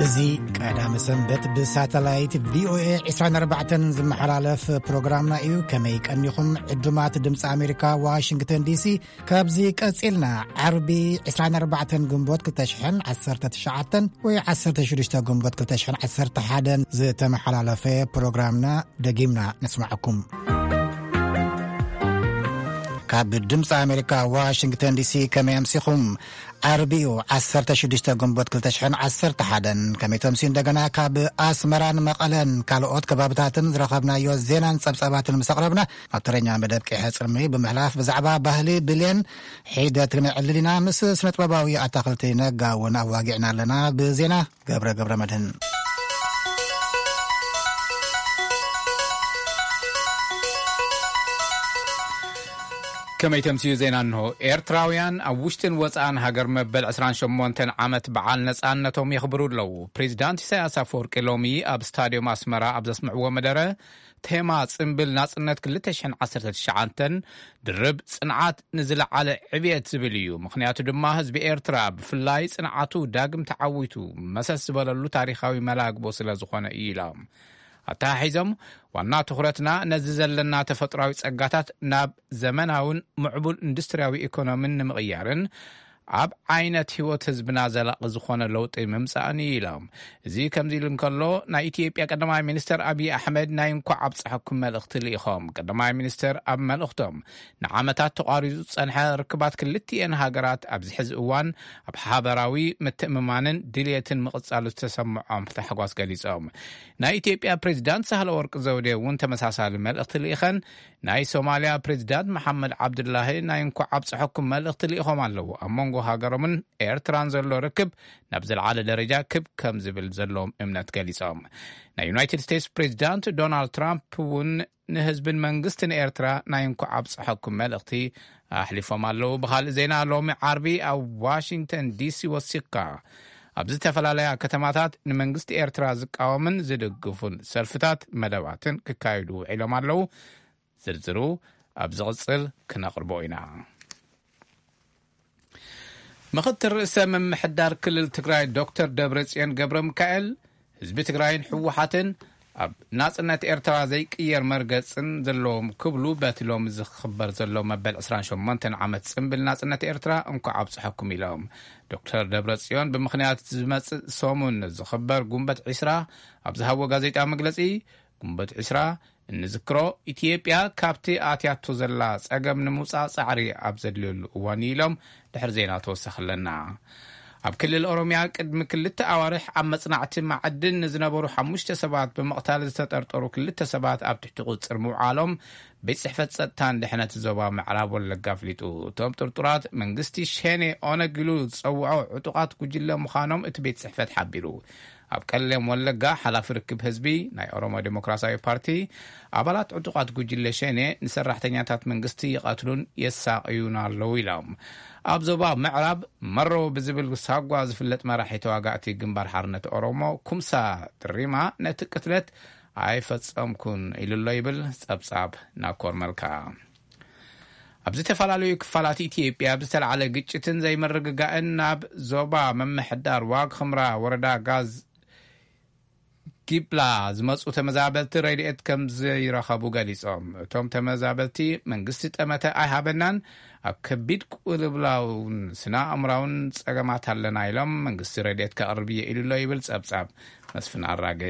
እዚ ቀዳመ ሰንበት ብሳተላይት ቪ ኦ ኤ ዕስራን ኣርባዕተን ዝመሓላለፍ ፕሮግራምና እዩ። ከመይ ቀኒኹም ዕዱማት ድምፂ ኣሜሪካ ዋሽንግተን ዲ ሲ? ካብዚ ቀጺልና ዓርቢ ዕስራን ኣርባዕተን ግንቦት ክልተ ሽሕን ዓሰርተ ትሽዓተን ወይ ዓሰርተ ሽዱሽተ ግንቦት ክልተ ሽሕን ዓሰርተ ሓደን ዝተመሓላለፈ ፕሮግራምና ደጊምና ነስማዓኩም። ካብ ድምፂ ኣሜሪካ ዋሽንግተን ዲ ሲ ከመይ ኣምሲኹም? ዓርቢ እዩ ዓሰርተ ሽዱሽተ ግንቦት ክልተ ሽሕን ዓሰርተ ሓደን። ከመይ ተምሲ እንደገና ካብ ኣስመራን መቐለን ካልኦት ከባብታትን ዝረኸብናዮ ዜናን ጸብጻባትን ምስ ኣቕረብና፣ ናብ ተረኛ መደብ ቂሐ ጽልሚ ብምሕላፍ ብዛዕባ ባህሊ ብሌን ሒደት ክነዕልል ኢና። ምስ ስነጥበባዊ ኣታኽልቲ ነጋ እውን ኣዋጊዕና ኣለና። ብዜና ገብረ ገብረ መድህን። ከመይ ተምስዩ ዜና እንሆ። ኤርትራውያን ኣብ ውሽጥን ወጻእን ሃገር መበል ዕስራን ሸሞንተን ዓመት በዓል ነጻነቶም የኽብሩ ኣለዉ። ፕሬዚዳንት ኢሳያስ ኣፈወርቂ ሎሚ ኣብ ስታድዮም ኣስመራ ኣብ ዘስምዕዎ መደረ፣ ቴማ ጽምብል ናጽነት ክልተ ሽሕን ዓሰርተ ትሽዓተን ድርብ ጽንዓት ንዝለዓለ ዕብየት ዝብል እዩ። ምኽንያቱ ድማ ህዝቢ ኤርትራ ብፍላይ ጽንዓቱ ዳግም ተዓዊቱ መሰስ ዝበለሉ ታሪኻዊ መላግቦ ስለ ዝኾነ እዩ ኢሎም። ኣተሓሒዞም፣ ዋና ትኹረትና ነዚ ዘለና ተፈጥሯዊ ጸጋታት ናብ ዘመናውን ምዕቡል ኢንዱስትርያዊ ኢኮኖሚን ንምቕያርን ኣብ ዓይነት ህይወት ህዝብና ዘላቒ ዝኾነ ለውጢ ምምጻእን እዩ ኢሎም። እዚ ከምዚ ኢሉ እንከሎ፣ ናይ ኢትዮጵያ ቀዳማይ ሚኒስተር ኣብይ ኣሕመድ ናይ እንኳዕ ኣብጽሐኩም መልእኽቲ ልኢኾም። ቀዳማይ ሚኒስተር ኣብ መልእኽቶም፣ ንዓመታት ተቋሪጹ ዝጸንሐ ርክባት ክልቲኤን ሃገራት ኣብዚ ሕዚ እዋን ኣብ ሓበራዊ ምትእምማንን ድልየትን ምቕጻሉ ዝተሰምዖም ታሕጓስ ገሊጾም። ናይ ኢትዮጵያ ፕሬዚዳንት ሳህለወርቅ ዘውዴ እውን ተመሳሳሊ መልእኽቲ ልኢኸን። ናይ ሶማልያ ፕሬዚዳንት መሓመድ ዓብዱላሂ ናይ እንኳዕ ኣብጽሐኩም መልእኽቲ ልኢኾም ኣለዉ። ኣብ መንጎ ሃገሮምን ኤርትራን ዘሎ ርክብ ናብ ዝለዓለ ደረጃ ክብ ከም ዝብል ዘለዎም እምነት ገሊጾም። ናይ ዩናይትድ ስቴትስ ፕሬዚዳንት ዶናልድ ትራምፕ እውን ንህዝብን መንግስትን ኤርትራ ናይ እንኳዕ ኣብጽሐኩም መልእኽቲ ኣሕሊፎም ኣለዉ። ብኻልእ ዜና፣ ሎሚ ዓርቢ ኣብ ዋሽንግተን ዲ ሲ ወሲኽካ ኣብ ዝተፈላለያ ከተማታት ንመንግስቲ ኤርትራ ዝቃወምን ዝድግፉን ሰልፍታት መደባትን ክካየዱ ውዒሎም ኣለዉ። ዝርዝሩ ኣብ ዝቕጽል ክነቕርቦ ኢና። ምኽትል ርእሰ ምምሕዳር ክልል ትግራይ ዶክተር ደብረጽዮን ገብረ ሚካኤል፣ ህዝቢ ትግራይን ህወሓትን ኣብ ናጽነት ኤርትራ ዘይቅየር መርገጽን ዘለዎም ክብሉ በቲ ሎሚ ዝኽበር ዘሎ መበል ዕስራን ሸሞንተን ዓመት ጽምብል ናጽነት ኤርትራ እንኳዕ ኣብጽሐኩም ኢሎም። ዶክተር ደብረጽዮን ብምኽንያት ዝመጽእ ሰሙን ዝኽበር ጉንበት ዕስራ ኣብ ዝሃቦ ጋዜጣ መግለጺ፣ ጉንበት ዕስራ እንዝክሮ፣ ኢትዮጵያ ካብቲ ኣትያቶ ዘላ ጸገም ንምውጻእ ጻዕሪ ኣብ ዘድልየሉ እዋን እዩ ኢሎም ድሕሪ ዜና ተወሰኸለና። ኣብ ክልል ኦሮምያ ቅድሚ ክልተ ኣዋርሕ ኣብ መጽናዕቲ ማዕድን ንዝነበሩ ሓሙሽተ ሰባት ብምቕታል ዝተጠርጠሩ ክልተ ሰባት ኣብ ትሕቲ ቁጽር ምውዓሎም ቤት ጽሕፈት ጸጥታን ድሕነት ዞባ ምዕራብ ወለጋ ኣፍሊጡ። እቶም ጥርጡራት መንግስቲ ሸኔ ኦነግ ኢሉ ዝጸውዖ ዕጡቓት ጉጅለ ምዃኖም እቲ ቤት ጽሕፈት ሓቢሩ። ኣብ ቀለም ወለጋ ሓላፊ ርክብ ህዝቢ ናይ ኦሮሞ ዴሞክራሲያዊ ፓርቲ፣ ኣባላት ዕጡቓት ጉጅለ ሸኔ ንሰራሕተኛታት መንግስቲ ይቐትሉን የሳቕዩን ኣለዉ ኢሎም። ኣብ ዞባ ምዕራብ መሮ ብዝብል ሳጓ ዝፍለጥ መራሒ ተዋጋእቲ ግንባር ሓርነት ኦሮሞ ኩምሳ ድሪማ ነቲ ቅትለት ኣይፈጸምኩን ኢሉ ኣሎ ይብል ጸብጻብ ናኮር መልካ። ኣብ ዝተፈላለዩ ክፋላት ኢትዮጵያ ብዝተላዕለ ግጭትን ዘይምርግጋእን ናብ ዞባ ምምሕዳር ዋግ ኽምራ ወረዳ ጋዝ ጊብላ ዝመፁ ተመዛበልቲ ረድኤት ከም ዘይረኸቡ ገሊፆም። እቶም ተመዛበልቲ መንግስቲ ጠመተ ኣይሃበናን፣ ኣብ ከቢድ ቅልብላውን ስነ ኣእምራውን ፀገማት ኣለና ኢሎም መንግስቲ ረድኤት ከቕርብ እየ ኢሉ ኣሎ ይብል ፀብፃብ መስፍን ኣራገ።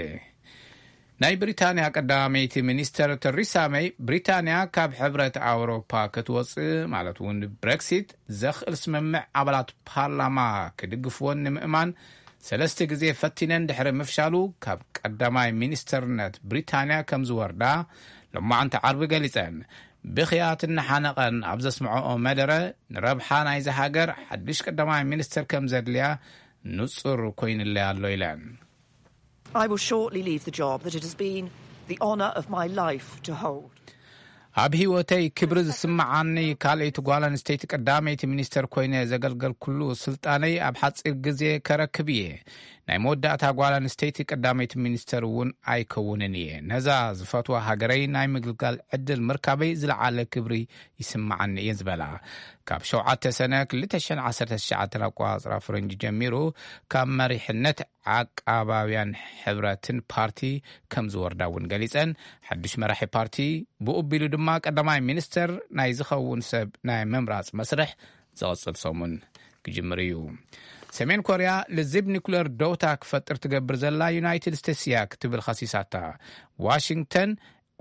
ናይ ብሪታንያ ቀዳመይቲ ሚኒስተር ተሪሳ መይ፣ ብሪታንያ ካብ ሕብረት ኣውሮፓ ክትወጽእ ማለት እውን ብሬክሲት ዘኽእል ስምምዕ ኣባላት ፓርላማ ክድግፍዎን ንምእማን ሰለስተ ግዜ ፈቲነን ድሕሪ ምፍሻሉ ካብ ቀዳማይ ሚኒስተርነት ብሪታንያ ከም ዝወርዳ ሎማዓንቲ ዓርቢ ገሊጸን። ብኽያት እናሓነቐን ኣብ ዘስምዐኦ መደረ፣ ንረብሓ ናይዚ ሃገር ሓድሽ ቀዳማይ ሚኒስተር ከም ዘድልያ ንጹር ኮይኑለይ ኣሎ ኢለን። I will shortly leave the job that it has been the honour of my life to hold. ኣብ ህይወተይ ክብሪ ዝስምዓኒ ካልኣይቲ ጓል ኣንስተይቲ ቀዳመይቲ ሚኒስተር ኮይነ ዘገልገልኩሉ ስልጣነይ ኣብ ሓጺር ግዜ ከረክብ እየ። ናይ መወዳእታ ጓል ኣንስተይቲ ቀዳመይቲ ሚኒስተር እውን ኣይከውንን እየ። ነዛ ዝፈትዋ ሃገረይ ናይ ምግልጋል ዕድል ምርካበይ ዝለዓለ ክብሪ ይስምዓኒ እየ ዝበላ። ካብ ሸውዓተ ሰነ ክልተ ሽሕን ዓሰርተ ትሽዓተን ኣቆጻጽራ ፈረንጂ ጀሚሩ ካብ መሪሕነት ዓቃባውያን ሕብረትን ፓርቲ ከም ዝወርዳ እውን ገሊጸን። ሓድሽ መራሒ ፓርቲ ብኡ ኣቢሉ ድማ ቀዳማይ ሚኒስተር ናይ ዝኸውን ሰብ ናይ ምምራጽ መስርሕ ዝቕጽል ሰሙን ክጅምር እዩ። ሰሜን ኮርያ ልዝብ ኒኩለር ደውታ ክፈጥር ትገብር ዘላ ዩናይትድ ስቴትስ እያ ክትብል ኸሲሳታ። ዋሽንግተን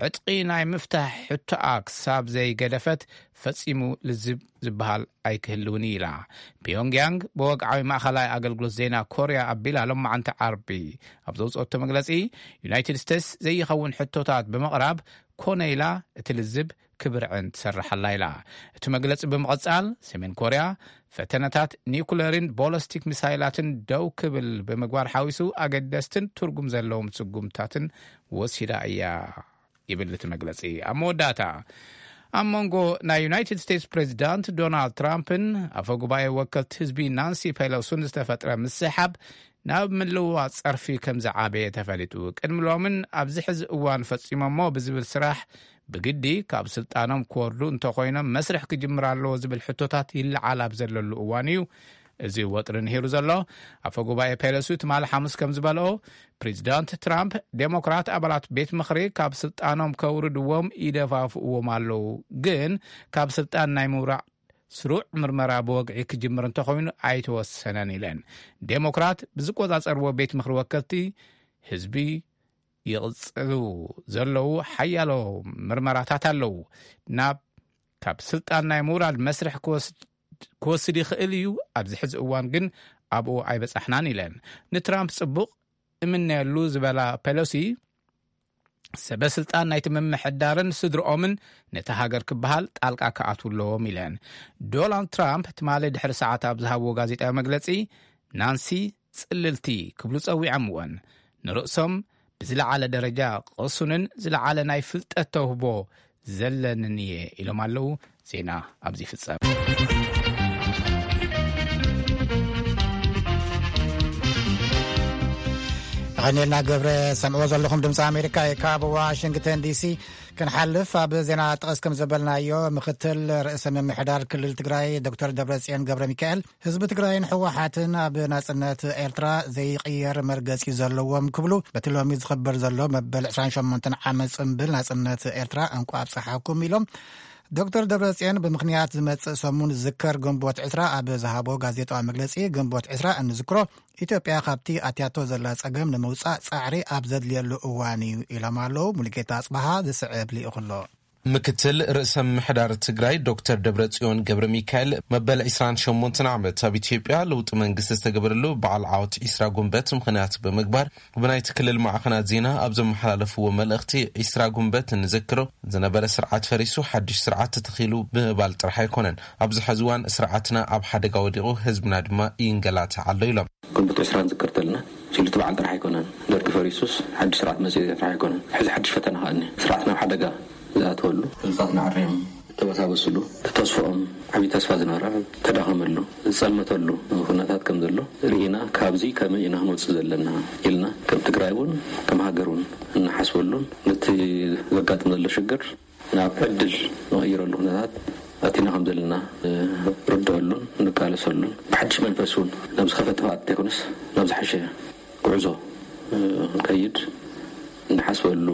ዕጥቂ ናይ ምፍታሕ ሕቶኣ ክሳብ ዘይገደፈት ፈጺሙ ልዝብ ዝበሃል ኣይክህልውን ኢላ። ፒዮንግያንግ ብወግዓዊ ማእኸላይ ኣገልግሎት ዜና ኮርያ ኣቢላ ሎማዓንቲ ዓርቢ ኣብ ዘውፅኦቶ መግለፂ፣ ዩናይትድ ስቴትስ ዘይኸውን ሕቶታት ብምቕራብ ኮነ ኢላ እቲ ልዝብ ክብርዕን ትሰርሓላ ኢላ። እቲ መግለፂ ብምቕፃል፣ ሰሜን ኮርያ ፈተነታት ኒኩለርን ቦለስቲክ ሚሳይላትን ደው ክብል ብምግባር ሓዊሱ ኣገደስትን ትርጉም ዘለዎም ስጉምታትን ወሲዳ እያ ይብል እቲ መግለጺ። ኣብ መወዳእታ፣ ኣብ መንጎ ናይ ዩናይትድ ስቴትስ ፕሬዚዳንት ዶናልድ ትራምፕን ኣፈ ጉባኤ ወከልቲ ህዝቢ ናንሲ ፔሎሱን ዝተፈጥረ ምስሕሓብ ናብ ምልውዋጥ ጸርፊ ከም ዝዓበየ ተፈሊጡ። ቅድሚ ሎምን ኣብዚ ሕዚ እዋን ፈጺሞሞ ብዝብል ስራሕ ብግዲ ካብ ስልጣኖም ክወርዱ እንተኾይኖም መስርሕ ክጅምር ኣለዎ ዝብል ሕቶታት ይለዓል ኣብ ዘለሉ እዋን እዩ እዚ ወጥሪ ንሂሩ ዘሎ። ኣፈ ጉባኤ ፔሎሲ ትማሊ ሓሙስ ከም ዝበልኦ፣ ፕሬዚዳንት ትራምፕ ዴሞክራት ኣባላት ቤት ምኽሪ ካብ ስልጣኖም ከውርድዎም ይደፋፍእዎም ኣለዉ፣ ግን ካብ ስልጣን ናይ ምውራድ ስሩዕ ምርመራ ብወግዒ ክጅምር እንተኾይኑ ኣይተወሰነን ኢለን። ዴሞክራት ብዝቆጻጸርዎ ቤት ምኽሪ ወከልቲ ህዝቢ ይቕጽሉ ዘለዉ ሓያሎ ምርመራታት ኣለዉ። ናብ ካብ ስልጣን ናይ ምውራድ መስርሕ ክወስድ ክወስድ ይኽእል እዩ፣ ኣብዚ ሕዚ እዋን ግን ኣብኡ ኣይበጻሕናን ኢለን። ንትራምፕ ጽቡቕ እምነየሉ ዝበላ ፔሎሲ፣ ሰበ ስልጣን ናይቲ ምምሕዳርን ስድርኦምን ነቲ ሃገር ክበሃል ጣልቃ ክኣትዉ ኣለዎም ኢለን። ዶናልድ ትራምፕ ትማሊ ድሕሪ ሰዓት ኣብ ዝሃብዎ ጋዜጣዊ መግለጺ፣ ናንሲ ጽልልቲ ክብሉ ጸዊዖምወን። ንርእሶም ብዝለዓለ ደረጃ ቅሱንን ዝለዓለ ናይ ፍልጠት ተውህቦ ዘለንን እየ ኢሎም ኣለዉ። ዜና ኣብዚ ይፍጸም። ኣኸኔልና ገብረ ሰምዕዎ ዘለኹም ድምፂ ኣሜሪካ እዩ ካብ ዋሽንግተን ዲሲ። ክንሓልፍ ኣብ ዜና ጠቐስ ከም ዘበልናዮ ምክትል ርእሰ ምምሕዳር ክልል ትግራይ ዶክተር ደብረጽዮን ገብረ ሚካኤል ህዝቢ ትግራይን ህወሓትን ኣብ ናጽነት ኤርትራ ዘይቕየር መርገጺ ዘለዎም ክብሉ በቲ ሎሚ ዝኽበር ዘሎ መበል ዕስራን ሸሞንተን ዓመት ጽምብል ናጽነት ኤርትራ እንቋ ኣብጽሓኩም ኢሎም። ዶክተር ደብረጽዮን ብምኽንያት ዝመጽእ ሰሙን ዝዝከር ግንቦት ዕስራ ኣብ ዝሃቦ ጋዜጣዊ መግለጺ ግንቦት ዕስራ እንዝክሮ ኢትዮጵያ ካብቲ ኣትያቶ ዘላ ጸገም ንምውጻእ ጻዕሪ ኣብ ዘድልየሉ እዋን እዩ ኢሎም ኣለዉ። ሙሉጌታ ኣጽበሃ ዝስዕብ ልኢኹ ኣሎ። ምክትል ርእሰ ምምሕዳር ትግራይ ዶክተር ደብረጽዮን ገብረ ሚካኤል መበል ዕስራን ሸሞንተን ዓመት ኣብ ኢትዮጵያ ለውጢ መንግስቲ ዝተገበረሉ በዓል ዓወት ዕስራ ጉንበት ምኽንያት ብምግባር ብናይቲ ክልል ማዕኸናት ዜና ኣብ ዘመሓላለፍዎ መልእኽቲ ዕስራ ጉንበት እንዝክሮ ዝነበረ ስርዓት ፈሪሱ ሓድሽ ስርዓት ተተኺሉ ብምባል ጥራሕ ኣይኮነን። ኣብዚ ሕዚ እዋን ስርዓትና ኣብ ሓደጋ ወዲቑ ህዝብና ድማ ይንገላታዕ ኣሎ ኢሎም። ግንቦት ዕስራ ንዝክር ተለና፣ ሲሉ እቲ በዓል ጥራሕ ኣይኮነን። ደርጊ ፈሪሱስ ሓድሽ ስርዓት መጽኡ ጥራሕ ኣይኮነን። ሕዚ ሓድሽ ፈተና ከኣ እኒአ። ስርዓት ናብ ሓደጋ ዝኣተወሉ፣ ህዝብታትና ዓርዮም ተበሳበስሉ፣ ተስፍኦም ዓብዪ ተስፋ ዝነበረ ተዳኸመሉ፣ ዝጸልመተሉ ኩነታት ከም ዘሎ ርኢና፣ ካብዚ ከመይ ኢና ክንወጽእ ዘለና ኢልና ከም ትግራይ እውን ከም ሃገር እውን እንሓስበሉን ነቲ ዘጋጥም ዘሎ ሽግር ናብ ዕድል ንቐይረሉ ኩነታት ኣቲና ከም ዘለና ንርድአሉን ንቃለሰሉን ብሓድሽ መንፈስ እውን ናብ ዝኸፈተ ጥፍኣት ዘይኮነስ ናብ ዝሓሸ ጉዕዞ ክንከይድ እንሓስበሉ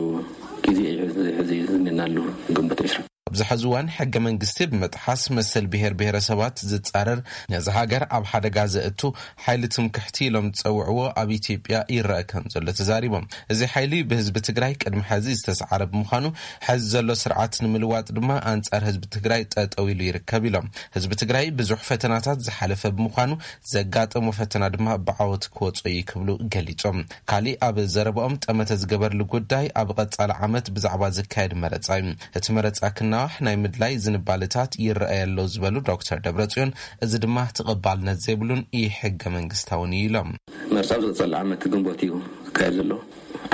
ግዜ እዩ ሕዚ ዝኒናሉ ግንቦት ዕስራ። ኣብዚ ሕዚ እዋን ሕገ መንግስቲ ብምጥሓስ መሰል ብሄር ብሄረሰባት ዝጻረር ነዚ ሃገር ኣብ ሓደጋ ዘእቱ ሓይሊ ትምክሕቲ ኢሎም ዝጸውዕዎ ኣብ ኢትዮጵያ ይረአ ከም ዘሎ ተዛሪቦም። እዚ ሓይሊ ብህዝቢ ትግራይ ቅድሚ ሕዚ ዝተሰዓረ ብምዃኑ ሕዚ ዘሎ ስርዓት ንምልዋጥ ድማ ኣንጻር ህዝቢ ትግራይ ጠጠው ኢሉ ይርከብ ኢሎም። ህዝቢ ትግራይ ብዙሕ ፈተናታት ዝሓለፈ ብምዃኑ ዘጋጠሞ ፈተና ድማ ብዓወት ክወጾ እዩ ክብሉ ገሊጾም። ካሊእ ኣብ ዘረባኦም ጠመተ ዝገበርሉ ጉዳይ ኣብ ቀጻሊ ዓመት ብዛዕባ ዝካየድ መረጻ እዩ። እቲ መረጻ ክናዋሕ ናይ ምድላይ ዝንባልታት ይረኣይ ኣሎ ዝበሉ ዶክተር ደብረጽዮን፣ እዚ ድማ ተቐባልነት ዘይብሉን ኢ-ሕገ መንግስታውን እዩ ኢሎም። መርጻ ኣብ ዝቕጸል ዓመት ግንቦት እዩ ክካየድ ዘሎ።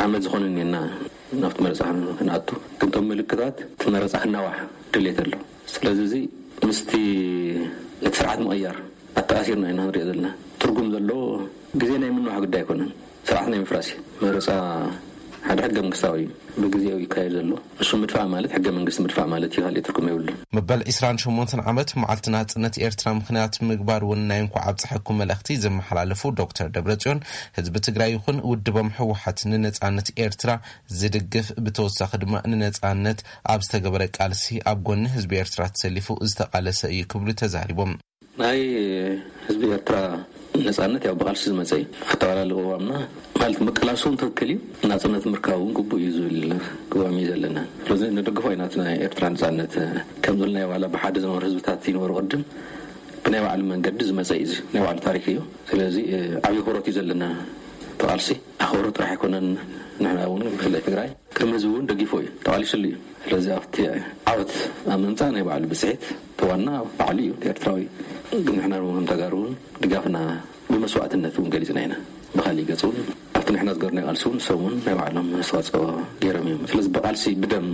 ዓመት ዝኾነ እኒና ናብቲ መረጻ ክንኣቱ፣ ግን እቶም ምልክታት እቲ መረጻ ክናዋሕ ድሌት ኣሎ። ስለዚ እዚ ምስቲ ነቲ ስርዓት ምቕያር ኣተኣሲርና ኢና ንሪኦ ዘለና። ትርጉም ዘለዎ ግዜ ናይ ምንዋሕ ጉዳይ ኣይኮነን፣ ስርዓት ናይ ምፍራስ እዩ። መረጻ ሓደ ሕገ መንግስታዊ እዩ ብግዜኡ ይካየድ ዘሎ። እሱ ምድፋእ ማለት ሕገ መንግስቲ ምድፋእ ማለት እዩ፣ ካልእ ትርጉም የብሉን። መበል ዕስራን ሸሞንተን ዓመት መዓልቲ ናጽነት ኤርትራ ምኽንያት ምግባር እውን ናይ እንኳዕ ኣብጽሐኩም መልእኽቲ ዘመሓላለፉ ዶክተር ደብረጽዮን፣ ህዝቢ ትግራይ ይኹን ውድቦም ህወሓት ንነጻነት ኤርትራ ዝድግፍ፣ ብተወሳኺ ድማ ንነጻነት ኣብ ዝተገበረ ቃልሲ ኣብ ጎኒ ህዝቢ ኤርትራ ተሰሊፉ ዝተቓለሰ እዩ ክብሉ ተዛሪቦም። ናይ ህዝቢ ኤርትራ ነጻነት ያው ብቓልሲ ዝመጸ እዩ። ኣተባላሊ ቅዋምና ማለት ምቅላሱ እውን ትክክል እዩ። ናጽነት ምርካብ እውን ግቡእ እዩ ዝብል ቅዋም እዩ ዘለና። ስለዚ ንድግፎ ኢና። እቲ ናይ ኤርትራ ነጻነት ከም ዝበልናዮ ዋላ ብሓደ ዝነበሩ ህዝብታት ይነበሩ ቅድም ብናይ ባዕሉ መንገዲ ዝመጸ እዩ። እዚ ናይ ባዕሉ ታሪክ እዩ። ስለዚ ዓብዪ ኣኽብሮት እዩ ዘለና። እቲ ቃልሲ ኣኽብሮት ጥራሕ ኣይኮነን። ንሕና እውን ብፍላይ ትግራይ ከም ህዝቢ እውን ደጊፎ እዩ፣ ተቓሊስሉ እዩ። ስለዚ ኣብቲ ዓወት ኣብ ምምፃእ ናይ ባዕሉ ብፅሒት እቲ ዋና ባዕሉ እዩ፣ እቲ ኤርትራዊ። ግን ንሕና እውን ከም ተጋሩ እውን ድጋፍና ብመስዋእትነት እውን ገሊፅና ኢና። ብካሊእ ገፅ እውን ኣብቲ ንሕና ዝገርናዮ ቃልሲ እውን ንሶም እውን ናይ ባዕሎም ኣስተዋፅኦ ገይሮም እዮም። ስለዚ ብቃልሲ ብደም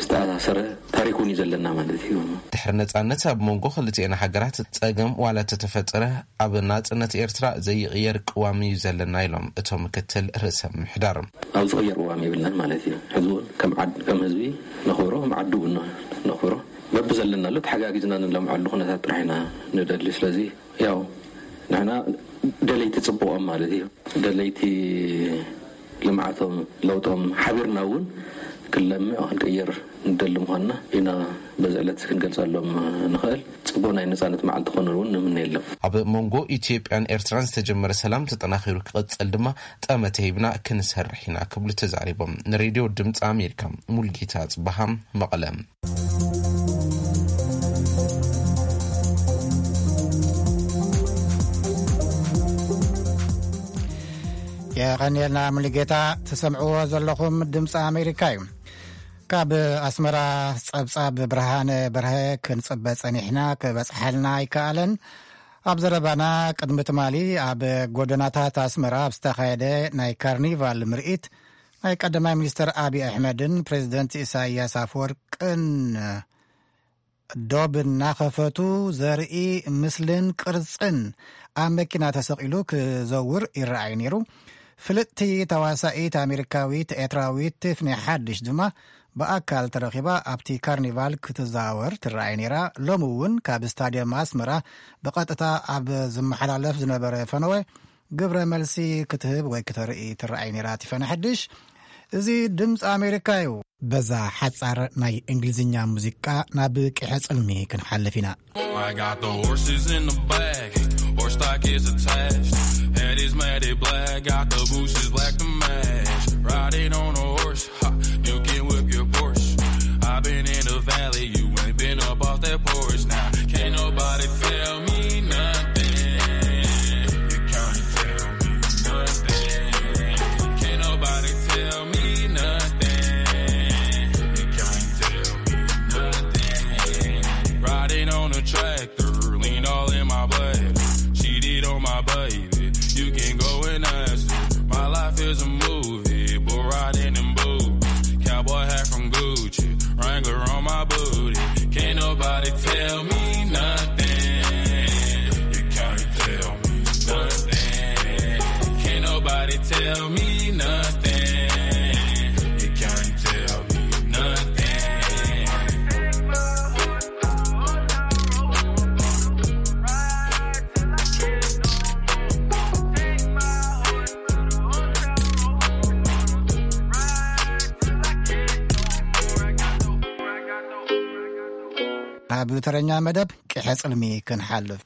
ዝተኣሳሰረ ታሪክ እውን እዩ ዘለና ማለት እዩ። ድሕሪ ነጻነት ኣብ መንጎ ክልቲኤን ሃገራት ጸገም ዋላ ተተፈጠረ፣ ኣብ ናጽነት ኤርትራ ዘይቕየር ቅዋም እዩ ዘለና ኢሎም እቶም ምክትል ርእሰ ምምሕዳር። ኣብ ዝቕየር ቅዋም የብልናን ማለት እዩ። ሕዚ እውን ከም ዓድ፣ ከም ህዝቢ ነኽብሮ፣ ከም ዓዲ እውን ነኽብሮ። በብዘለናሉ ተሓጋጊዝና ንለምዐሉ ኩነታት ጥራሕ ኢና ንደሊ። ስለዚ ያው ንሕና ደለይቲ ጽቡቖም ማለት እዩ። ደለይቲ ልምዓቶም፣ ለውጦም ሓቢርና እውን ክንለምዕ ክንቅይር ንደሊ ምዃንና ኢና በዚ ዕለት ክንገልጸሎም ንኽእል። ጽቡቕ ናይ ነጻነት መዓልቲ ክኾነሉ እውን ንምነየሎም። ኣብ መንጎ ኢትዮጵያን ኤርትራን ዝተጀመረ ሰላም ተጠናኺሩ ክቕጽል ድማ ጠመተ ሂብና ክንሰርሕ ኢና ክብሉ ተዛሪቦም። ንሬድዮ ድምፂ ኣሜሪካ ሙልጌታ ጽበሃ መቐለ። የቐንየልና ሙሉጌታ። ትሰምዕዎ ዘለኹም ድምፂ ኣሜሪካ እዩ። ካብ ኣስመራ ጸብጻብ ብርሃነ በርሀ ክንጽበ ጸኒሕና፣ ክበጽሓልና ኣይከኣለን። ኣብ ዘረባና ቅድሚ ትማሊ ኣብ ጎደናታት ኣስመራ ኣብ ዝተኻየደ ናይ ካርኒቫል ምርኢት ናይ ቀዳማይ ሚኒስተር ኣብይ ኣሕመድን ፕሬዚደንት ኢሳያስ ኣፈወርቅን ዶብ እናኸፈቱ ዘርኢ ምስልን ቅርጽን ኣብ መኪና ተሰቒሉ ክዘውር ይረኣይ ነይሩ። ፍልጥቲ ተዋሳኢት ኣሜሪካዊት ኤርትራዊት ቲፍኒ ሓድሽ ድማ ብኣካል ተረኺባ ኣብቲ ካርኒቫል ክትዘዋወር ትረኣይ ነይራ። ሎሚ እውን ካብ ስታድየም ኣስመራ ብቐጥታ ኣብ ዝመሓላለፍ ዝነበረ ፈነወ ግብረ መልሲ ክትህብ ወይ ክተርኢ ትረኣይ ነይራ ቲፈኒ ሓድሽ። እዚ ድምፂ ኣሜሪካ እዩ። በዛ ሓጻር ናይ እንግሊዝኛ ሙዚቃ ናብ ቂሐ ጽልሚ ክንሓልፍ ኢና። I got the horses in the back, horse stock is attached. Head is matted black, got the bushes black to match. Riding on a horse, ha, you can whip your Porsche. I've been in the valley, you ain't been up off that porch. Now, can't nobody tell me nothing. You can't tell me nothing. Can't nobody tell me nothing. You can't tell me nothing. Riding on a tractor, lean all in my bladder. Cheated on my baby, you can go and ask her. My life is a movie, bull riding in boots. Cowboy hat from Gucci, Wrangler on my booty. Can't nobody tell me nothing. You can't tell me nothing. Can't nobody tell me nothing. You can't tell me nothing. ኣብ ተረኛ መደብ ቂሐ ጽልሚ ክንሓልፍ።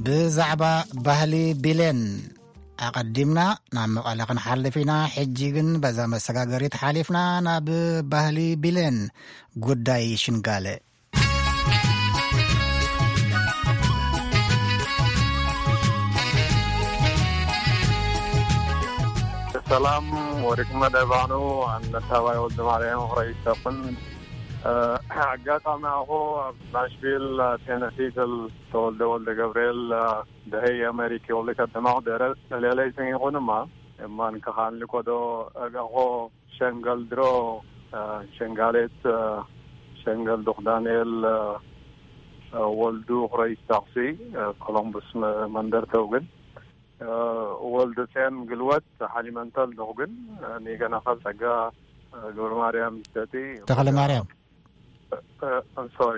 ብዛዕባ ባህሊ ቢሌን ኣቐዲምና ናብ መቐለ ክንሓልፍ ኢና። ሕጂ ግን በዛ መሰጋገሪት ሓሊፍና ናብ ባህሊ ቢሌን ጉዳይ ሽንጋለ። ሰላም ወርቅመ ደባኑ፣ ኣነ ታባይ ወልደ ማርያም ክረይሰኹን። ኣጋጣሚ ኣኹ ኣብ ናሽቪል ቴነሲ ተወልደ ወልደ ገብርኤል ደሀይ ኣሜሪክ ወልደ ከተማ ደረ ሌለይ ሰኝ ይኹንማ እማን ከኻን ልኮዶ እጋኾ ሸንገል ድሮ ሸንጋሌት ሸንገል ዱኽ ዳንኤል ወልዱ ክረይ ታክሲ ኮሎምቡስ መንደርተው ግን ወልዱ ጼን ግልወት ሓሊመንተል ዶኽግን ኒገናኸል ጸጋ ገብረ ማርያም ይስተቲ ተኽለ ማርያም። ሶሪ፣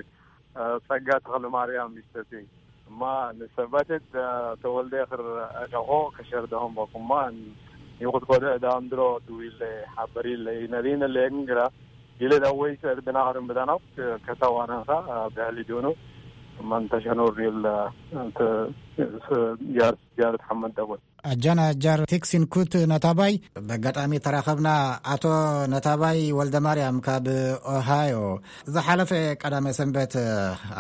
ጸጋ ተኽለ ማርያም ይስተቲ እማ ንሰበትት ተወልደ ክር እደኾ ከሸር ደሆም በኩማ ይኹት ኮደ እዳምድሮ ድዊለ ሓበሪለ ይነሊነ ለግራ ይለ ዳወይ ሰር ብናኸርን ብዳናው ከተዋናንካ ብሕሊ ዲሆኑ እማ እንተሸኖር ይል ያርስ ያርት ሓመድ ደቦል ኣጃና ኣጃር ቴክሲን ኩት ነታባይ በጋጣሚ ተራኸብና። ኣቶ ነታባይ ወልደ ማርያም ካብ ኦሃዮ ዝሓለፈ ቀዳመ ሰንበት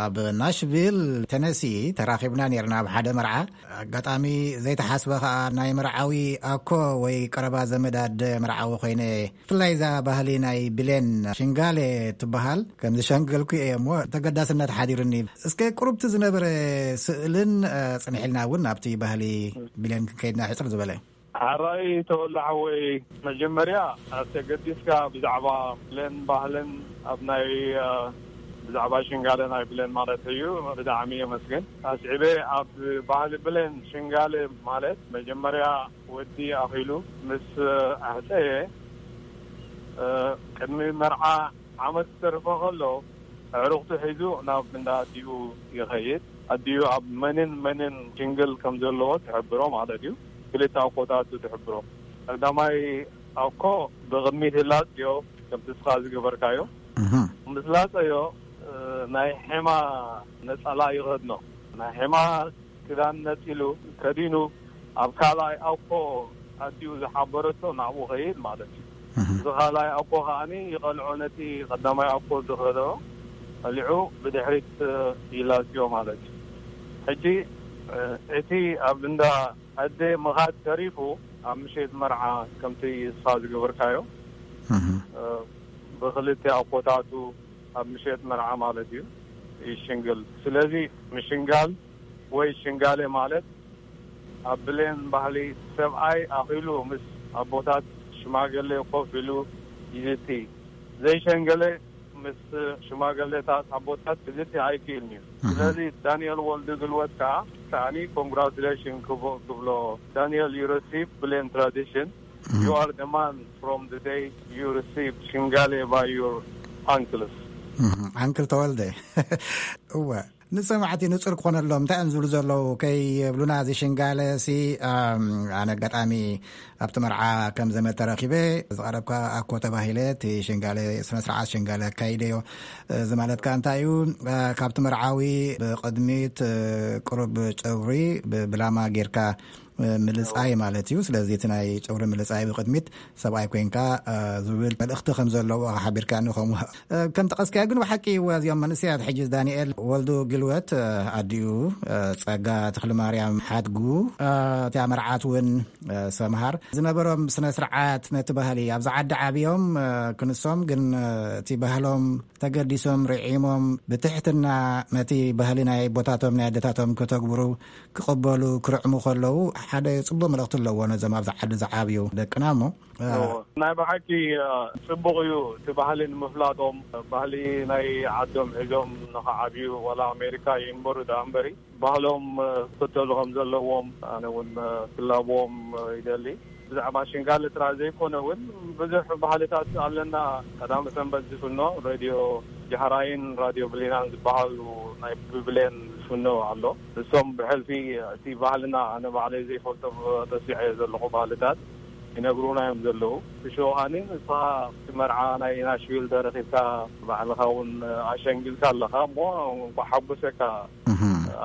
ኣብ ናሽቪል ቴነሲ ተራኺብና ነርና ኣብ ሓደ መርዓ። ኣጋጣሚ ዘይተሓስበ ከኣ ናይ መርዓዊ ኣኮ ወይ ቀረባ ዘመድ ኣደ መርዓዊ ኮይነ። ብፍላይ እዛ ባህሊ ናይ ብሌን ሽንጋሌ ትበሃል ከም ዝሸንገልኩ እየ እሞ ተገዳስነት ሓዲሩኒ። እስከ ቁሩብቲ ዝነበረ ስእልን ጽንሒልና እውን ናብቲ ባህሊ ብሌን ክንከይድና ሕጽር ዝበለ። ሓራይ ተወላሓወይ መጀመርያ ኣብ ተገዲስካ ብዛዕባ ብሌን ባህልን ኣብ ናይ ብዛዕባ ሽንጋለ ናይ ብሌን ማለት እዩ ብጣዕሚ የመስግን። ኣስዒበ ኣብ ባህሊ ብሌን ሽንጋለ ማለት መጀመርያ ወዲ ኣኺሉ ምስ ኣህፀየ ቅድሚ መርዓ ዓመት ዝተርፎ ከሎ ኣዕሩኽቱ ሒዙ ናብ እንዳ ኣዲኡ ይኸይድ። ኣዲኡ ኣብ መንን መንን ሽንግል ከም ዘለዎ ትሕብሮ ማለት እዩ። ክልተ ኣኮታቱ ትሕብሮ። ቀዳማይ ኣኮ ብቕድሚት ህላጽዮ ከምቲ ስኻ ዝገበርካዮ። ምስ ላጸዮ ናይ ሔማ ነጸላ ይኸድኖ። ናይ ሔማ ክዳን ነጺሉ ከዲኑ ኣብ ካልኣይ ኣኮ ኣዲኡ ዝሓበረቶ ናብኡ ኸይድ ማለት እዩ። እዚ ካልኣይ ኣኮ ከዓኒ ይቐልዖ ነቲ ቀዳማይ ኣኮ ዝኸዶ ቀሊዑ ብድሕሪት ይላዝዮ ማለት እዩ። ሕጂ እቲ ኣብ እንዳ ኣደ ምኻድ ተሪፉ ኣብ ምሸት መርዓ ከምቲ እስኻ ዝገበርካዮ ብክልተ ኣኮታቱ ኣብ ምሸት መርዓ ማለት እዩ ይሽንግል። ስለዚ ምሽንጋል ወይ ሽንጋሌ ማለት ኣብ ብሌን ባህሊ ሰብኣይ ኣኺሉ ምስ ኣቦታት ሽማገሌ ኮፍ ኢሉ ይዝቲ። ዘይሸንገለ ምስ ሽማገሌታት ኣቦታት ክዝቲ ኣይክእልን እዩ። ስለዚ ዳንኤል ወልዱ ግልወት ከዓ ከዓኒ ኮንግራቱሌሽን ክብሎ ዳንኤል you receive ብሌን tradition you are the man from the day you receive ሽንጋሌ by your uncles። ኣንክል ተወልደ እወ ንሰማዕቲ ንጹር ክኾነሎም እንታይ እዮም ዝብሉ ዘለዉ ከይብሉና እዚ ሽንጋለ ሲ ኣነ ኣጋጣሚ ኣብቲ መርዓ ከም ዘመድ ተረኺበ ዝቐረብካ ኣኮ ተባሂለ እቲ ሽንጋለ ስነ ስርዓት ሽንጋለ ኣካይደዮ። እዚ ማለት ከኣ እንታይ እዩ? ካብቲ መርዓዊ ብቕድሚት ቁሩብ ጨጉሪ ብላማ ጌርካ ምልጻይ ማለት እዩ። ስለዚ እቲ ናይ ጨጉሪ ምልጻይ ብቕድሚት ሰብኣይ ኮይንካ ዝብል መልእኽቲ ከም ዘለዎ ሓቢርካኒ። ከምኡ ከም ጠቐስካዮ ግን ብሓቂ እዚኦም መንእሰያት ሕጂ ዳንኤል ወልዱ ግልወት ኣዲኡ ጸጋ ተኽለ ማርያም ሓድጉ እቲኣ መርዓት እውን ሰምሃር ዝነበሮም ስነ ስርዓት ነቲ ባህሊ ኣብዚ ዓዲ ዓብዮም ክንሶም ግን እቲ ባህሎም ተገዲሶም ርዒሞም ብትሕትና ነቲ ባህሊ ናይ ኣቦታቶም ናይ ኣደታቶም ከተግብሩ ክቕበሉ ክርዕሙ ከለዉ ሓደ ጽቡቕ መልእኽቲ ኣለዎ ነዞም ኣብዚ ዓዲ ዝዓብዩ ደቅና እሞ ናይ ብሓቂ ጽቡቕ እዩ እቲ ባህሊ ንምፍላጦም ባህሊ ናይ ዓዶም ሒዞም ንኸዓብዩ ዋላ ኣሜሪካ ይንበሩ ደኣ እምበሪ ባህሎም ክክተሉ ከም ዘለዎም ኣነ እውን ክላብዎም ይደሊ። ብዛዕባ ሽንጋሊ ጥራይ ዘይኮነ እውን ብዙሕ ባህልታት ኣለና። ቀዳም ሰንበት ዝፍኖ ሬድዮ ጃህራይን ራድዮ ብሊናን ዝበሃሉ ናይ ብብሌን ዝፍኖ ኣሎ። እሶም ብሕልፊ እቲ ባህልና ኣነ ባዕለይ ዘይፈልጦ ተሲዐ ዘለኹ ባህልታት ይነግሩና እዮም ዘለዉ። ብሸውሃኒ ንስኻ እቲ መርዓ ናይ ናሽቪል ተረኺብካ ባዕልኻ እውን ኣሸንጊልካ ኣለኻ እሞ እንኳ ሓጎሰካ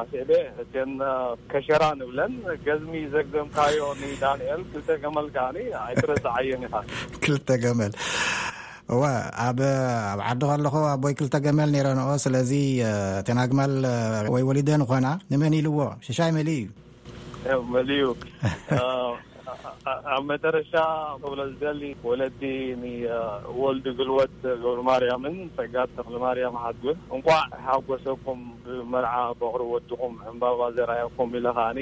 ኣስዕበ እተን ከሸራ ንብለን ገዝሚ ዘግዘምካዮ ንዳንኤል ክልተ ገመል ከዓኒ ኣይትረስዓየን ኢኻ። ክልተ ገመል እወ ኣብ ኣብ ዓዲ ከለኹ ኣቦይ ክልተ ገመል ነይረንኦ ስለዚ እተን ኣግማል ወይ ወሊደን ኾና ንመን ኢልዎ ሽሻይ መሊኡ እዩ። መሊኡ ኣብ መጨረሻ ክብሎ ዝደሊ ወለዲ ንወልዲ ግልወት ገብረ ማርያምን ጸጋት ተኽለ ማርያም ሓድጉን እንቋዕ ሓጎሰኩም ብመርዓ በቕሪ ወድኹም ዕምባባ ዘርኣየኩም ኢለ ከዓኒ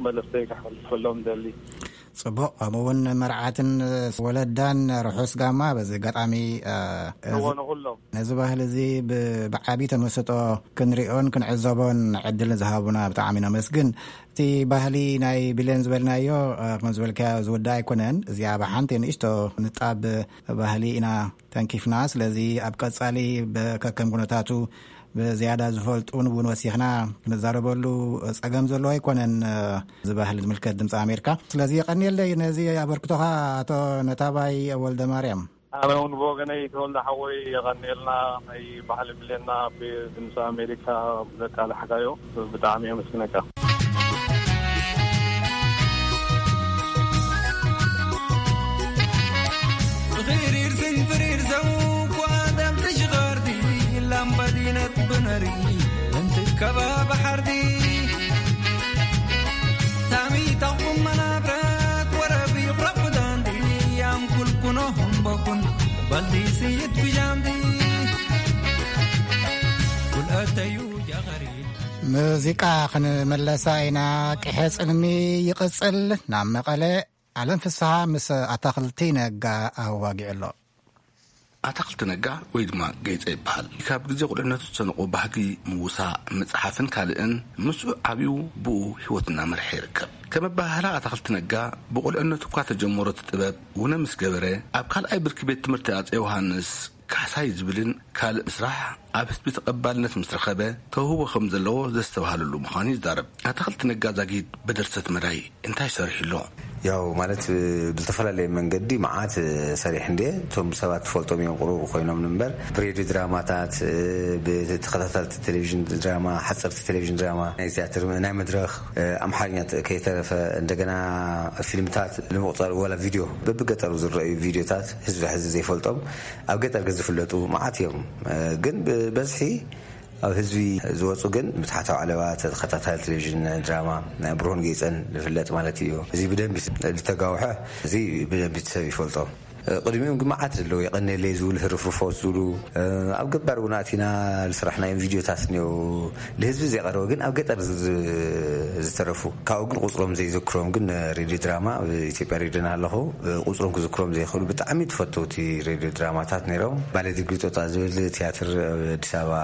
መልእኽተይ ከሕልፈሎም ደሊ። ጽቡቕ። ከምኡ እውን መርዓትን ወለዳን ርሑስ ጋማ። በዚ ኣጋጣሚ፣ እ፣ እዚ እዎ፣ ንኹሎም። ነዚ ባህሊ እዚ ብ-፣ ብዓቢ ተመስጦ ክንሪኦን ክንዕዘቦን ዕድል ዝሃቡና ብጣዕሚ ነመስግን። እቲ ባህሊ ናይ ብሌን ዝበልናዮ፣ እ፣ ከም ዝበልካዮ ዝውዳእ ኣይኮነን። እዚኣ ብሓንቲ ንእሽቶ ንጣብ ባህሊ ኢና ተንኪፍና። ስለዚ ኣብ ቀጻሊ ብ-፣ ከከም ኩነታቱ ብዝያዳ ዝፈልጡ እውን ወሲኽና ክንዛረበሉ ጸገም ዘለዎ ኣይኮነን፣ እ፣ እዚ ባህሊ ዝምልከት ድምፂ ኣሜሪካ። ስለዚ የቐንየለይ ነዚ ኣበርክቶኻ ኣቶ ነታባይ ወልደ ማርያም። ኣነ እውን ብወገነይ ተወልደ ሓወይ የቐንየልና፣ ናይ ባህሊ ብሌና ብድምፂ ኣሜሪካ ብዘቃላሕካዮ ብጣዕሚ የመስግነካ። ብኽሪር ስንፍሪር ዘው ኳ ደም ትሽኸርቲ ላምባዲነት ብነሪ እንትከባ ባሕርቲ ታሚ ታኹም መናብረት ወረቢ ቁረቁዳንቲ ያም ኩልኩኖ ሆምቦኩን በልዲ ስይድ ብጃምዲ ኩልአተዩ ጃኸሪ። ሙዚቃ ክንመለሳ ኢና። ቅሐ ጽልሚ ይቕጽል። ናብ መቐለ ኣለም ፍስሃ ምስ ኣታኽልቲ ነጋ ኣዋጊዑ ኣሎ። ኣታኽልቲ ነጋ ወይ ድማ ጌጸ ይበሃል። ካብ ግዜ ቁልዕነቱ ዝሰነቆ ባህጊ ምውሳእ፣ ምጽሓፍን ካልእን ምስኡ ዓብዩ ብኡ ህይወቱ እናመርሐ ይርከብ። ከም ኣበሃህላ ኣታኽልቲ ነጋ ብቁልዕነቱ እኳ ተጀመሮ እቲ ጥበብ ውነ ምስ ገበረ፣ ኣብ ካልኣይ ብርኪ ቤት ትምህርቲ ኣጼ ዮሃንስ ካሕሳይ ዝብልን ካልእ ምስራሕ ኣብ ህዝቢ ተቐባልነት ምስ ረኸበ ተውህቦ ከም ዘለዎ ዘስተብሃለሉ ምዃኑ ይዛረብ። ኣታኽልቲ ነጋ ዛጊድ ብድርሰት መዳይ እንታይ ሰሪሑ ኣሎ? ያው ማለት ብዝተፈላለየ መንገዲ መዓት ሰሪሕ እንደ እቶም ሰባት ትፈልጦም እዮም ቅሩብ ኮይኖም እምበር ብሬድዮ ድራማታት ብተኸታተልቲ ቴሌቪዥን ድራማ ሓፀርቲ ቴሌቪዥን ድራማ ናይ ቲያትር ናይ መድረኽ ኣምሓርኛ ከይተረፈ እንደገና ፊልምታት ንምቁፃር ወላ ቪድዮ በብገጠሩ ዝረኣዩ ቪድዮታት ህዝቢ ሕዚ ዘይፈልጦም ኣብ ገጠር ግን ዝፍለጡ መዓት እዮም። ግን ብበዝሒ ኣብ ህዝቢ ዝወፁ ግን ምትሓታዊ ዓለባ ተኸታታሊ ቴሌቪዥን ድራማ ናይ ብርሆን ጌፀን ዝፍለጥ ማለት እዩ። እዚ ብደንቢ ዝተጋውሐ እዚ ብደንቢ ሰብ ይፈልጦ። ቅድሚኦም ግን መዓት ዘለዉ የቐነለይ ዝብሉ ህርፍርፎት ዝብሉ ኣብ ገባር እውን ኣቲና ዝስራሕናዮም ቪድዮታት እኒው ልህዝቢ ዘይቀረበ ግን ኣብ ገጠር ዝተረፉ ካብኡ ግን ቁፅሮም ዘይዘክሮም ግን ሬድዮ ድራማ ኣብ ኢትዮጵያ ሬድዮ እናሃለኹ ቁፅሮም ክዝክሮም ዘይኽእሉ ብጣዕሚ ተፈተውቲ ሬድዮ ድራማታት ነይሮም። ባለ ዲግሪ ጦጣ ዝብል ቲያትር ኣብ ኣዲስ ኣበባ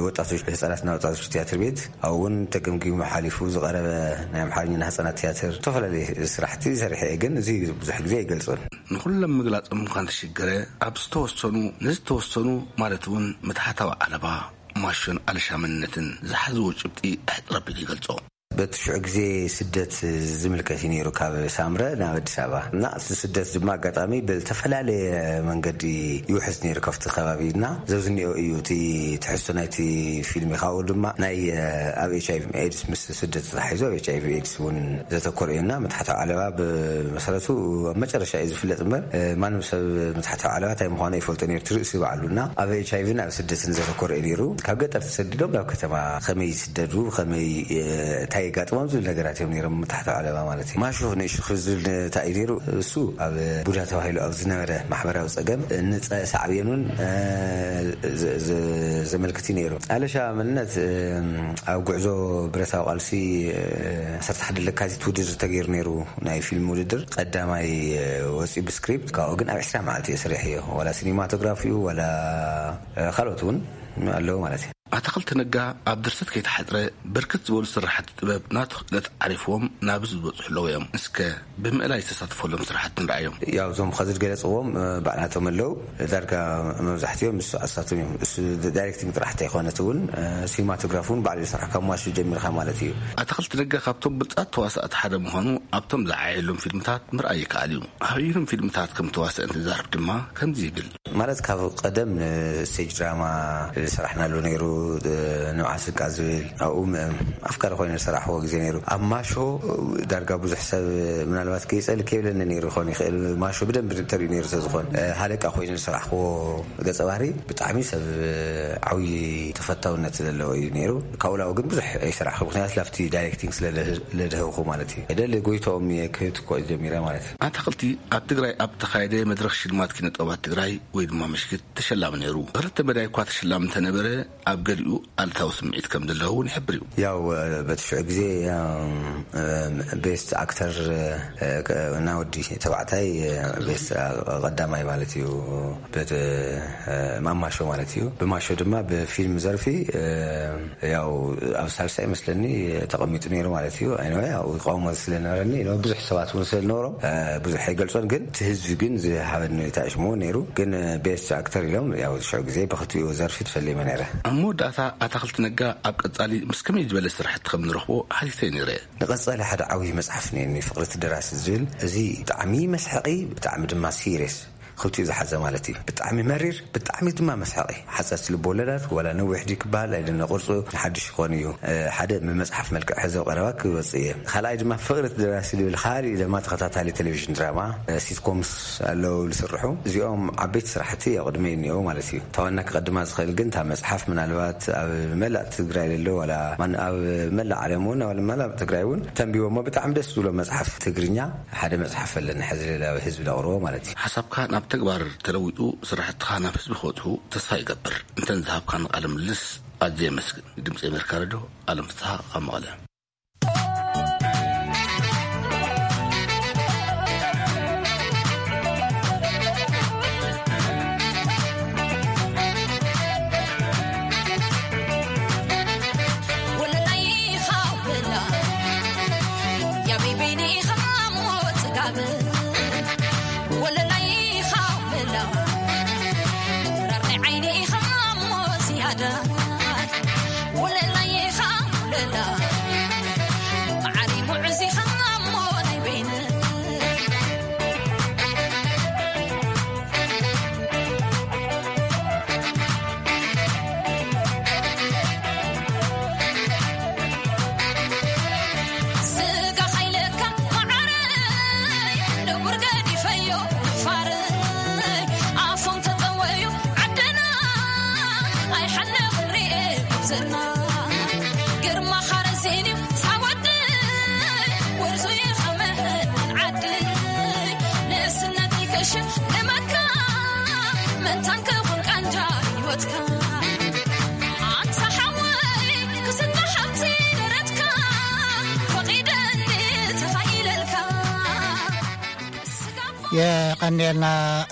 ወጣቶች ህፃናትና ወጣቶች ቲያትር ቤት ኣብኡ እውን ተገምጊሙ ሓሊፉ ዝቐረበ ናይ ኣምሓርኛ ህፃናት ቲያትር ዝተፈላለዩ ስራሕቲ ሰሪሐ እየ። ግን እዚ ብዙሕ ግዜ ኣይገልፆን። ንኹሎም ምግላፆም እኳ እንተሸገረ ኣብ ዝተወሰኑ ንዝተወሰኑ ማለት እውን ምትሓታዊ ዓለባ ማሾን ኣለሻ መንነትን ዝሓዝዎ ጭብጢ ኣሕፅር ኣቢሉ ይገልፆ። በቲ ሽዑ ግዜ ስደት ዝምልከት እዩ ነይሩ ካብ ሳምረ ናብ ኣዲስ ኣበባ እና እቲ ስደት ድማ ኣጋጣሚ ብዝተፈላለየ መንገዲ ይውሕዝ ነይሩ ካብቲ ከባቢ እና ዘብዝኒኦ እዩ እቲ ትሕዝቶ ናይቲ ፊልም ካብኡ ድማ ናይ ኣብ ኤች ኣይቪ ኤድስ ምስ ስደት ተታሒዙ ኣብ ኤች ኣይቪ ኤድስ እውን ዘተኮረ እዩ እና ምትሓታዊ ዓለባ ብመሰረቱ ኣብ መጨረሻ እዩ ዝፍለጥ እምበር ማንም ሰብ ምትሓታዊ ዓለባ እንታይ ምዃኑ ይፈልጦ ነይሩ ትርእሲ ባዕሉ እና ኣብ ኤች ኣይቪ ናብ ስደትን ዘተኮረ እዩ ነይሩ ካብ ገጠር ተሰዲዶም ናብ ከተማ ከመይ ይስደዱ ከመይ እንታይ የጋጥሞም ዝብል ነገራት እዮም ነይሮም ምትሓታዊ ዓለባ ማለት እዩ። ማሾ ንእሹ ክዝብል እንታይ እዩ ነይሩ እሱ ኣብ ቡዳ ተባሂሉ ኣብ ዝነበረ ማሕበራዊ ፀገም ንፀ ሳዕቤኑን ዘመልክት እዩ ነይሩ። ኣለሻ መንነት ኣብ ጉዕዞ ብረታዊ ቃልሲ ዓሰርተ ሓደ ለካቲት ውድድር ተገይሩ ነይሩ ናይ ፊልም ውድድር ቀዳማይ ወፂኡ ብስክሪፕት ካብኡ ግን ኣብ ዕስራ መዓልቲ እየ ሰሪሐዮ ዋላ ሲኒማቶግራፊ እዩ ዋላ ካልኦት እውን ኣለዉ ማለት እዩ። ኣታኽልቲ ነጋ ኣብ ድርሰት ከይተሓፅረ ብርክት ዝበሉ ስራሕቲ ጥበብ ናቱ ክእለት ዓሪፍዎም ናብ ዝበፅሑ ኣለዉ እዮም። እስከ ብምእላይ ዝተሳተፈሎም ስራሕቲ ንርኣዮም። ያው እዞም ኸዚ ዝገለፅዎም ባዕላቶም ኣለዉ ዳርጋ መብዛሕትኦም ንሱ ኣሳቶም እዮም። እሱ ዳይሬክቲንግ ጥራሕ እንተይኮነት እውን ሲኒማቶግራፊ እውን ባዕሉ ይሰርሕ ካብ ማሹ ጀሚርካ ማለት እዩ። ኣታኽልቲ ነጋ ካብቶም ብልፃት ተዋሳእቲ ሓደ ምዃኑ ኣብቶም ዝዓየሎም ፊልምታት ምርኣይ ይከኣል እዩ። ኣበይኖም ፊልምታት ከም ተዋስአ እንትዛረብ ድማ ከምዚ ይብል። ማለት ካብ ቀደም ንስቴጅ ድራማ ዝሰራሕናሉ ነይሩ። ንብዓት ስንቃ ዝብል ኣብኡ ኣፍቃሪ ኮይነ ዝሰራሕዎ ግዜ ነይሩ። ኣብ ማሾ ዳርጋ ብዙሕ ሰብ ምናልባት ከይፀል ከይብለኒ ነይሩ ይኸውን ይኽእል። ማሾ ብደንብ ተሪኡ ነይሩ ስለዝኾን ሃለቃ ኮይነ ዝሰራሕክዎ ገፀ ባህሪ ብጣዕሚ ሰብ ዓብዪ ተፈታውነት ዘለዎ እዩ ነይሩ። ካብኡ ላው ግን ብዙሕ ኣይሰራሕኩ ምክንያቱ ላፍቲ ዳይሬክቲንግ ስለለድህብኩ ማለት እዩ። ደሊ ጎይታኦም እየ ክህብቲ እኮ ጀሚረ ማለት እዩ። ኣታኽልቲ ኣብ ትግራይ ኣብ ተኻየደ መድረኽ ሽልማት ኪነ ጥበባት ትግራይ ድማ ምሽክት ተሸላሚ ነይሩ። ክልተ መዳይ እኳ ተሸላሚ እንተነበረ፣ ኣብ ገሊኡ ኣሉታዊ ስምዒት ከም ዘለዎ እውን ይሕብር እዩ። ያው በትሽዑ ግዜ ቤስት ኣክተር እና ወዲ ተባዕታይ ቤስት ቀዳማይ ማለት እዩ። በት ማማሾ ማለት እዩ። ብማሾ ድማ ብፊልም ዘርፊ ያው ኣብ ሳልሳይ መስለኒ ተቐሚጡ ነይሩ ማለት እዩ። ኣይነ ያው ቃውሞ ስለነበረኒ ብዙሕ ሰባት እውን ስለነበሮም ብዙሕ ኣይገልጾን፣ ግን እቲ ህዝቢ ግን ዝሃበኒ ታሽሙ ነይሩ። ግን ቤስት ኣክተር ኢሎም ያው ሽዑ ግዜ ብክልቲኡ ዘርፊ ተፈሊመ ነይረ። ኣብ መወዳእታ ኣታኽልቲ ነጋ ኣብ ቀጻሊ ምስ ከመይ ዝበለ ስራሕቲ ከም ንረኽቦ ሓቲተ ነይረ። ንቐጻሊ ሓደ ዓብዪ መጽሓፍ ነይኒ ፍቕሪ እቲ ደራሲ ዝብል፣ እዚ ብጣዕሚ መስሐቂ፣ ብጣዕሚ ድማ ሲሪየስ፣ ክልቲኡ ዝሓዘ ማለት እዩ። ብጣዕሚ መሪር፣ ብጣዕሚ ድማ መስሐቂ። ሓጸርቲ ልብ ወለዳት ዋላ ነዊሕ ድዩ ክበሃል ኣይደለ፣ ቅርጹ ንሓድሽ ይኾን እዩ። ሓደ ብመጽሓፍ መልክዕ ሕዚ ኣብ ቀረባ ክወጽእ እየ። ካልኣይ ድማ ፍቕሪ እቲ ደራሲ ዝብል ካልእ ድማ ተኸታታሊ ቴሌቪዥን ድራማ፣ ሲትኮምስ ኣለዉ ዝስርሑ። እዚኦም ዓበይቲ ስራሕቲ ኣብ ቅድመይ እኒኦ ማለት እዩ። እታ ዋና ክቐድማ ዝኽእል ግን እታ መጽሓፍ ምናልባት ኣብ መላእ ትግራይ ዘሎ ዋላ ማን ኣብ መላእ ዓለም እውን ኣብ መላእ ትግራይ እውን ተንቢቦሞ ብጣዕሚ ደስ ዝብሎ መጽሓፍ ትግርኛ ሓደ መጽሓፍ ኣለኒ ሕዚ ሌላ ህዝቢ ለቕርቦ ማለት እዩ። ሓሳብካ ናብ ተግባር ተለዊጡ ስራሕትኻ ናብ ህዝቢ ክበጽሑ ተስፋ ይገብር። እንተን ዝሃብካኒ ቃለ ምልልስ ኣዝየ የመስግን። ድምፂ ኣሜሪካ ሬድዮ ኣለም ፍስሓ ካብ መቐለ። የቐንየልና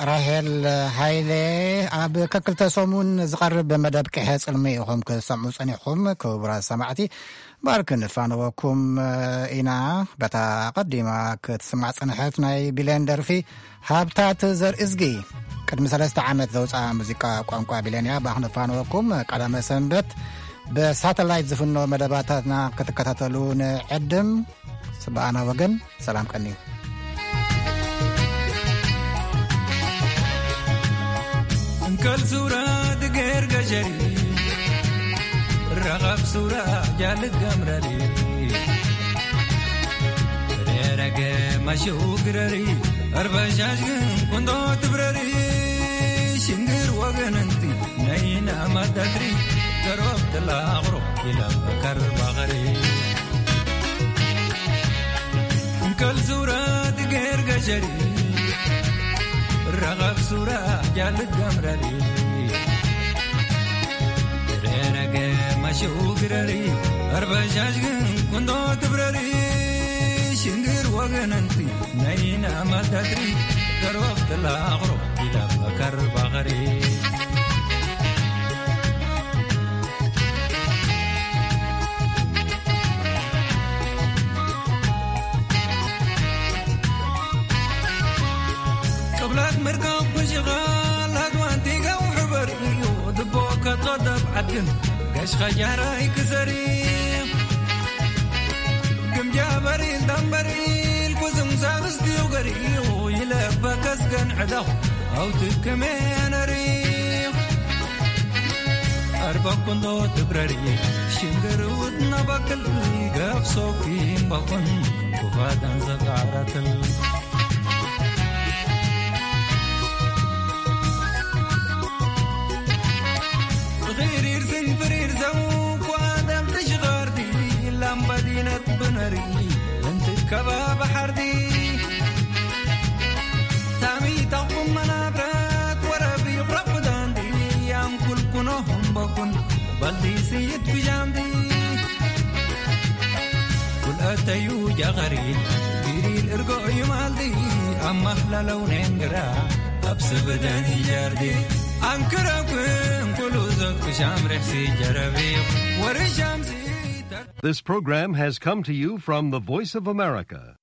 ራሄል ሃይለ። ኣብ ከክልተ ሰሙን ዝቐርብ መደብ ቅሐ ጽልሚ ኢኹም ክትሰምዑ ጸኒሕኩም። ክቡራት ሰማዕቲ፣ ባርክ ንፋነወኩም ኢና። በታ ቀዲማ ክትስማዕ ጽንሐት ናይ ቢሌን ደርፊ ሃብታት ዘርእዝጊ። ቅድሚ ሰለስተ ዓመት ዘውፅኣ ሙዚቃ ቋንቋ ቢሌን እያ። ባኽ ንፋነወኩም። ቀዳመ ሰንበት ብሳተላይት ዝፍኖ መደባታትና ክትከታተሉ ንዕድም። ስብኣና ወገን ሰላም ቀኒ። እንከል ሱራ ድጌር ገጀሪ፣ ረቐብ ሱራ ጃልት ገምረሪ፣ ደረገ መሽኡ ግረሪ፣ ኣርበሻሽ ግን ኩንዶ ትብረሪ፣ ሽንግር ወገን እንቲ ነይና ማዳትሪ፣ ገሮብ ትላቕሮ ይለበከር ባኸሪ። እንከል ሱራ ድጌር ገሸሪ፣ ረቐብ ሱራ ጃልት ገምረሪ፣ ረረገ መሽኡ ግረሪ፣ ኣርበሻሽ ግን ኩንዶ ትብረሪ፣ ሽንግር ወገን እንቲ ነይና ማዳትሪ፣ ገሮብ ትላቕሮ ይለበከር ባኸሪ። ቅብላት ምርካብ ኩሽኻ ላድዋንቲ ገው ሕበር እዩ፣ ድቦ ከጾ ደብ ዓድን ገሽ ኸጃራይ ክሰሪ። ግምጃ በሪል ዳምበሪል ኩዝም ሳብስቲው ገሪኡ ይለበከስ ገን ዕዳኹ ኣውትክሜ ነሪኹ። ኣርባኩንዶ ትብረሪ ሽንግርውት ናባክል ገፍሶኪ እምባኹን ኩፋዳን ዘቃራትል። ኺሪር ስንፍሪር ዘው ኳደም ትሽኸርቲ ላምባዲነት ብነሪ እንትከባ ባሕርቲ። ታሚታኹም መናብረት ወረቢ Baldi siyit kujamdi. Kul atayu jagari. Giril ergo yumaldi. Amma lalaw nengra. Absibadan hijardi. Ankara kun kulu zat kusham rehsi jarabi. Warisham si. This program has come to you from the Voice of America.